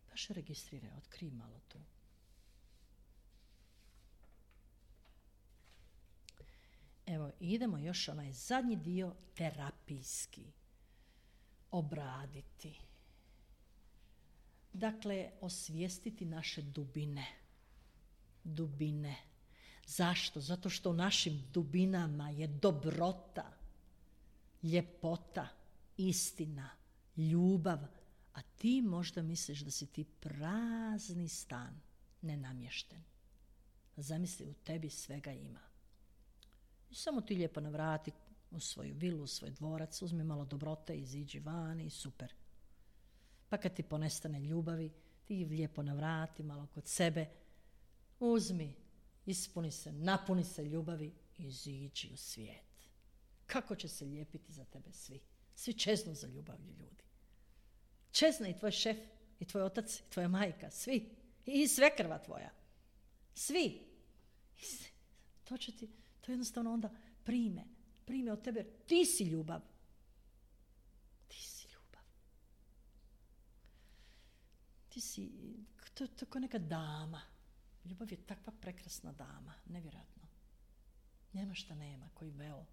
Baš registriraj, otkrij malo tu. Evo, idemo još onaj zadnji dio terapijski. Obraditi. Dakle, osvijestiti naše dubine. Dubine. Zašto? Zato što u našim dubinama je dobrota, ljepota, istina, ljubav. A ti možda misliš da si ti prazni stan, nenamješten. Zamisli, u tebi svega ima. I samo ti lijepo navrati u svoju vilu, u svoj dvorac, uzmi malo dobrote, iziđi van i super. Pa kad ti ponestane ljubavi, ti lijepo navrati malo kod sebe, uzmi, ispuni se, napuni se ljubavi i iziđi u svijet. Kako će se lijepiti za tebe svi? Svi čeznu za ljubavlju ljudi. Čezne i tvoj šef, i tvoj otac, i tvoja majka, svi. I svekrva tvoja. Svi. I to će ti, to jednostavno onda prime. Prime od tebe, ti si ljubav. Ti si ljubav. Ti si, to, to je kao neka dama. Ljubav je takva prekrasna dama, nevjerojatno. Nema šta nema, koji veo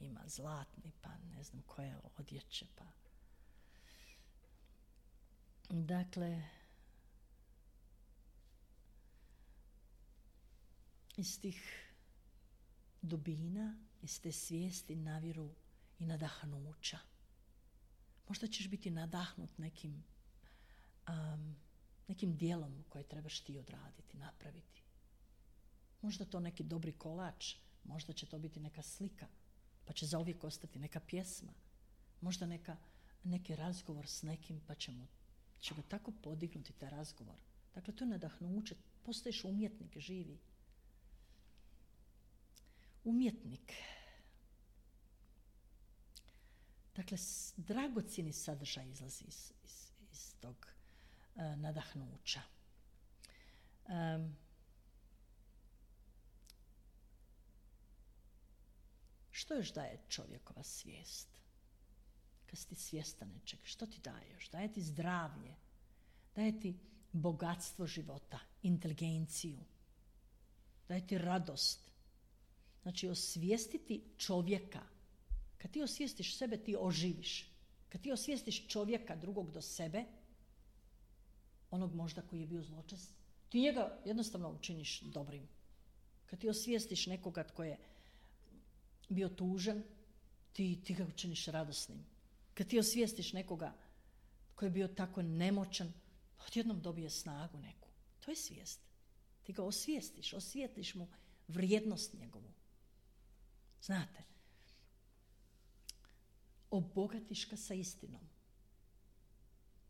ima zlatni, pa ne znam koje odjeće, pa. Dakle, iz tih dubina, iz te svijesti naviru i nadahnuća. Možda ćeš biti nadahnut nekim um, nekim dijelom koje trebaš ti odraditi, napraviti. Možda to neki dobri kolač, možda će to biti neka slika, pa će zauvijek ostati neka pjesma. Možda neka, neki razgovor s nekim, pa će, mu, će ga tako podignuti taj razgovor. Dakle, to je nadahnuće, postaješ umjetnik, živi. Umjetnik. Dakle, dragocjeni sadržaj izlazi iz, iz, iz tog uh, nadahnuća. Um, što još daje čovjekova svijest? Kad si ti svjestan nečeg, što ti daje još? Daje ti zdravlje, daje ti bogatstvo života, inteligenciju, daje ti radost. Znači, osvijestiti čovjeka. Kad ti osvijestiš sebe, ti oživiš. Kad ti osvijestiš čovjeka drugog do sebe, onog možda koji je bio zločest, ti njega jednostavno učiniš dobrim. Kad ti osvijestiš nekoga tko je bio tužan, ti, ti ga učiniš radosnim. Kad ti osvijestiš nekoga tko je bio tako nemoćan, odjednom dobije snagu neku. To je svijest. Ti ga osvijestiš, osvijetliš mu vrijednost njegovu. Znate, obogatiš ga sa istinom.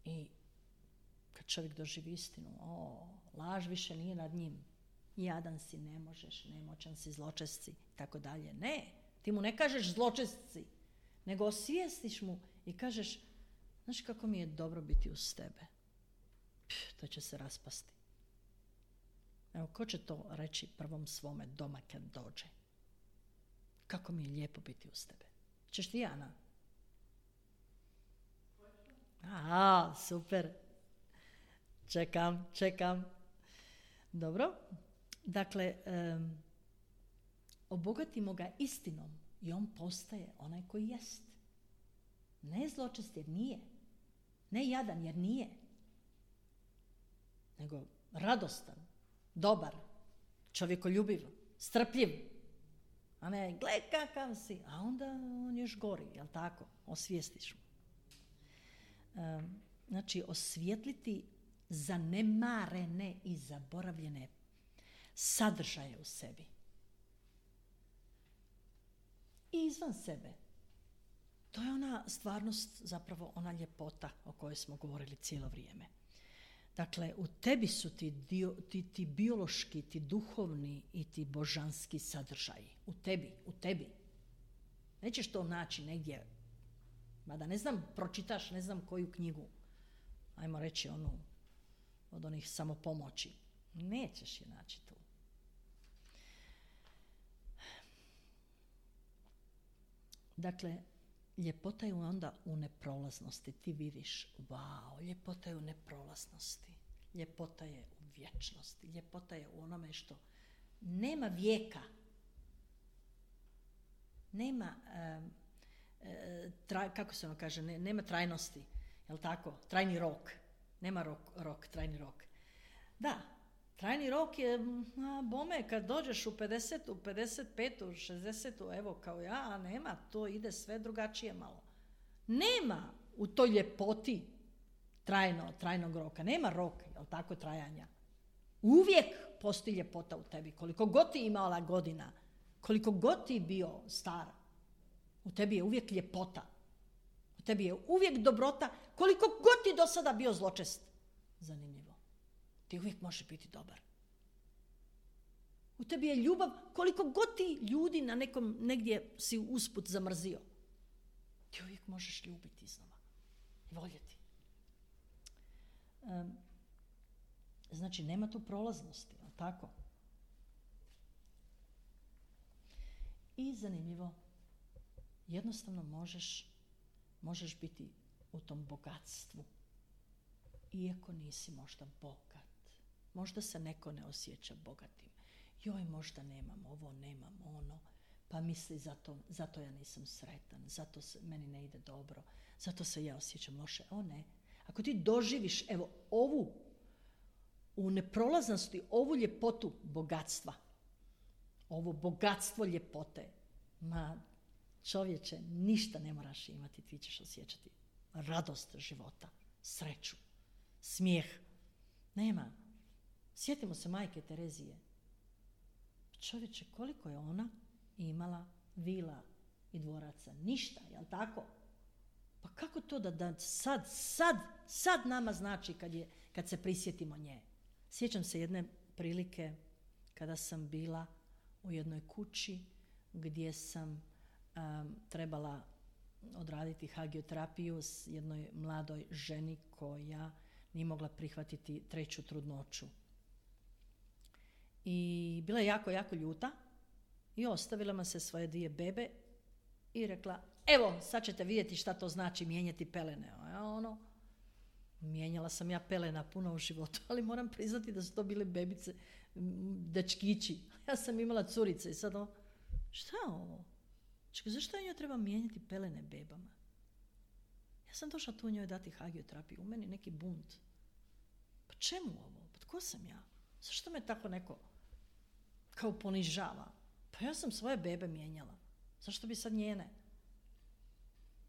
I kad čovjek doživi istinu, o, laž više nije nad njim. Jadan si, ne možeš, nemoćan si, zločest si, tako dalje. Ne, ti mu ne kažeš zločest si, nego osvijestiš mu i kažeš, znaš kako mi je dobro biti uz tebe. Pff, to će se raspasti. Evo, ko će to reći prvom svome doma kad dođe? Kako mi je lijepo biti uz tebe. Češ ti, Ana? Aha, super. Čekam, čekam. Dobro. Dakle, um, obogatimo ga istinom i on postaje onaj koji jest. Ne zločest jer nije. Ne jadan jer nije. Nego radostan, dobar, čovjekoljubiv, strpljiv. A ne, gle kakav si. A onda on još gori, jel tako? Osvijestiš mu. Um, znači, osvijetliti zanemarene i zaboravljene sadržaje u sebi. I izvan sebe. To je ona stvarnost, zapravo ona ljepota o kojoj smo govorili cijelo vrijeme. Dakle, u tebi su ti, dio, ti, ti biološki, ti duhovni i ti božanski sadržaji. U tebi, u tebi. Nećeš to naći negdje, mada ne znam, pročitaš ne znam koju knjigu, ajmo reći onu od onih samopomoći. Nećeš je naći tu. Dakle, ljepota je onda u neprolaznosti. Ti vidiš, wow, ljepota je u neprolaznosti. Ljepota je u vječnosti. Ljepota je u onome što nema vijeka. Nema, um, traj, kako se ono kaže, ne, nema trajnosti. Jel' tako? Trajni rok. Nema rok, rok, trajni rok. Da, trajni rok je, a, bome, kad dođeš u pedesetu, pedeset petu, šezdesetu, evo kao ja, a nema, to ide sve drugačije malo. Nema u toj ljepoti trajno, trajnog roka. Nema rok, jel' tako, trajanja. Uvijek postoji ljepota u tebi. Koliko god ti imala godina, koliko god ti bio star, u tebi je uvijek ljepota. U tebi je uvijek dobrota, koliko god ti do sada bio zločest. Zanimljivo. Ti uvijek možeš biti dobar. U tebi je ljubav, koliko god ti ljudi na nekom, negdje si usput zamrzio. Ti uvijek možeš ljubiti iznova i voljeti. Um, znači, nema tu prolaznosti, ali tako? I zanimljivo, jednostavno možeš, možeš biti u tom bogatstvu, iako nisi možda bogat. Možda se neko ne osjeća bogatim. Joj, možda nemam ovo, nemam ono, pa misli zato, zato ja nisam sretan, zato se, meni ne ide dobro, zato se ja osjećam loše. O ne, ako ti doživiš, evo, ovu, u neprolaznosti, ovu ljepotu bogatstva, ovo bogatstvo ljepote, ma čovječe, ništa ne moraš imati, ti ćeš osjećati radost života, sreću, smijeh. Nema. Sjetimo se majke Terezije. Čovječe, koliko je ona imala vila i dvoraca? Ništa, jel tako? Pa kako to da, da sad, sad, sad nama znači kad, je, kad se prisjetimo nje? Sjećam se jedne prilike kada sam bila u jednoj kući gdje sam um, trebala odraditi hagioterapiju s jednoj mladoj ženi koja nije mogla prihvatiti treću trudnoću. I bila je jako, jako ljuta i ostavila me se svoje dvije bebe i rekla, evo, sad ćete vidjeti šta to znači mijenjati pelene. A ono, mijenjala sam ja pelena puno u životu, ali moram priznati da su to bile bebice, dečkići. Ja sam imala curice i sad ono, šta je ovo? Čekaj, zašto ja treba mijenjati pelene bebama? Ja sam došla tu njoj dati hagioterapiju, u meni neki bunt. Pa čemu ovo? Pa tko sam ja? Zašto me tako neko kao ponižava? Pa ja sam svoje bebe mijenjala. Zašto bi sad njene?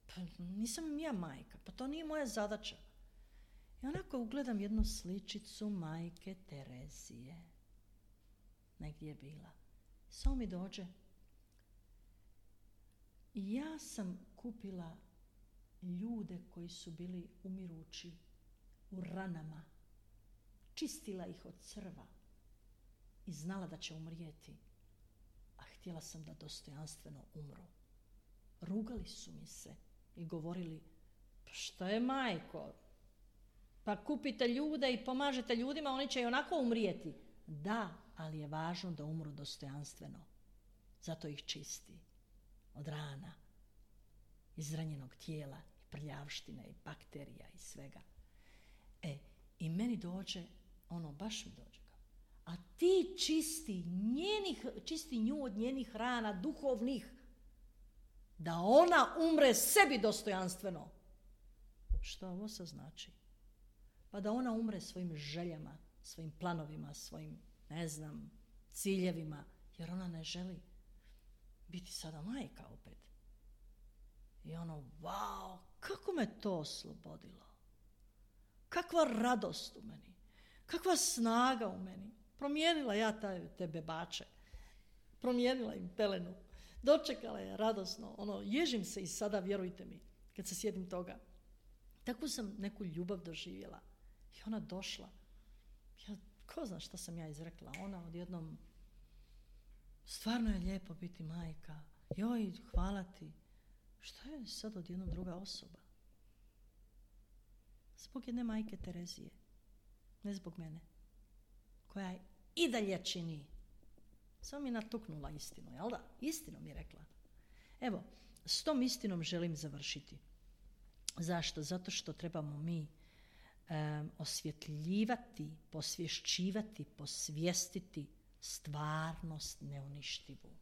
Pa nisam im ja majka, pa to nije moja zadaća. I onako ugledam jednu sličicu majke Terezije. negdje je bila. Samo mi dođe. I ja sam kupila ljude koji su bili umirući u ranama. Čistila ih od crva i znala da će umrijeti. A htjela sam da dostojanstveno umru. Rugali su mi se i govorili, pa šta je majko? Pa kupite ljude i pomažete ljudima, oni će i onako umrijeti. Da, ali je važno da umru dostojanstveno. Zato ih čisti od rana, izranjenog tijela, i prljavštine, i bakterija, i svega. E, i meni dođe, ono, baš mi dođe. A ti čisti, njenih, čisti nju od njenih rana, duhovnih, da ona umre sebi dostojanstveno. Što ovo se znači? Pa da ona umre svojim željama, svojim planovima, svojim, ne znam, ciljevima, jer ona ne želi biti sada majka opet. I ono, wow, kako me to oslobodilo. Kakva radost u meni. Kakva snaga u meni. Promijenila ja taj, te bebače. Promijenila im pelenu. Dočekala je radosno. Ono, ježim se i sada, vjerujte mi, kad se sjetim toga. Takvu sam neku ljubav doživjela. I ona došla. Ja, ko zna šta sam ja izrekla. Ona odjednom, stvarno je lijepo biti majka. Joj, hvala ti. Šta je sad odjednom druga osoba? Zbog jedne majke Terezije. Ne zbog mene. Koja je i dalje čini. Samo mi natuknula istinu, jel da? Istinu mi je rekla. Evo, s tom istinom želim završiti. Zašto? Zato što trebamo mi um, osvjetljivati, posvješćivati, posvijestiti stvarnost neuništivu.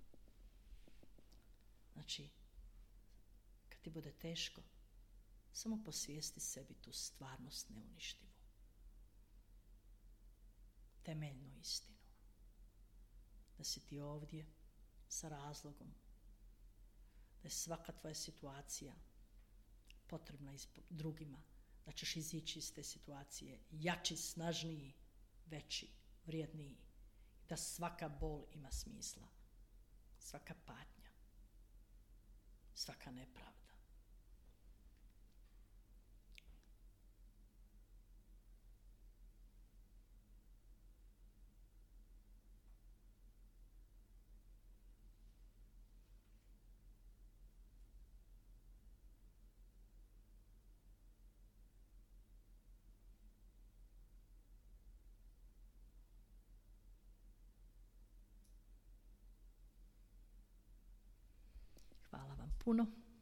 Znači, kad ti bude teško, samo posvijesti sebi tu stvarnost neuništivu. Temeljnu istinu. Da si ti ovdje sa razlogom. Da je svaka tvoja situacija potrebna drugima. Da ćeš izići iz te situacije jači, snažniji, veći, vrijedniji. Da svaka bol ima smisla. Svaka patnja. Svaka nepravda. Hvala vam puno.